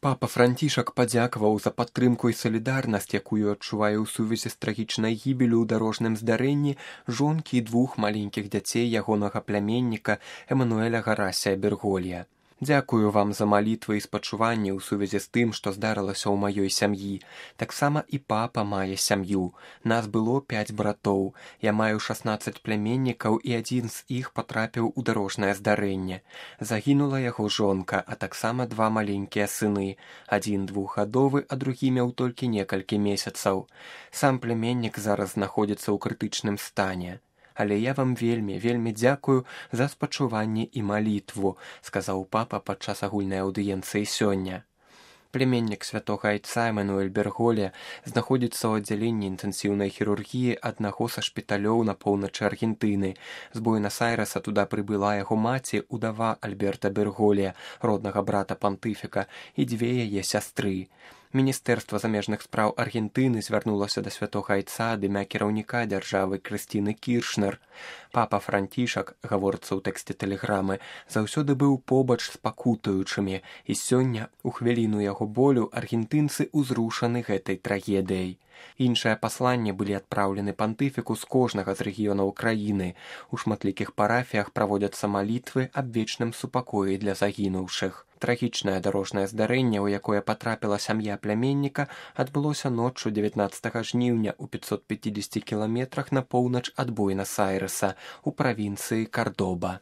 Папа Францішак падзякаваў за падтрымку і салідарнасць, якую адчувае ў сувязі з трагічнай гібелю ў дарожным здарэнні жонкі і двух маленькіх дзяцей ягонага пляменніка Эмануэля Гарасія Берголья. Дзякую вам за малітвы і спачуванні ў сувязі з тым, што здарылася ў маёй сям'і. Таксама і папа мае сям'ю. Нас было 5 братоў. Я маю 16 пляменнікаў, і адзін з іх патрапіў у дарожнае здарэнне. Загінула яго жонка, а таксама 2 маленькія сыны. Адзін 2гадовы, а другі меў толькі некалькі месяцаў. Сам пляменнік зараз знаходзіцца ў крытычным стане. Але я вам вельмі дзякую за спачуванне і малітву, сказаў папа падчас агульнай аўдыенцыі сёння. Пляменнік святога айца Эмануэль Берголья знаходзіцца ў аддзяленні інтэнсіўнай хірургіі аднаго са шпіталёў на поўначы Аргентыны. З Буэнас-Айрэса туда прыбыла яго маці, удава Альберта Берголья, роднага брата пантыфіка, і 2 яе сястры. Міністэрства замежных спраў Аргентыны звярнулася да святога айца ад імя кіраўніка дзяржавы Крысціны Кіршнер. Папа Францішак, гаворыцца ў тэксце тэлеграмы, заўсёды быў побач з пакутуючымі, і сёння, у хвіліну яго болю, аргентынцы ўзрушаны гэтай трагедыяй. Іншыя пасланні былі адпраўлены пантыфіку з кожнага з рэгіёнаў краіны. У шматлікіх парафіях праводзяцца малітвы аб вечным супакоі для загінуўшых. Трагічнае дарожнае здарэнне, у якое патрапіла сям'я пляменніка, адбылося ноччу 19 жніўня ў 550 кіламетрах на поўнач ад Буэнас-Айрэса, у правінцыі Кардоба.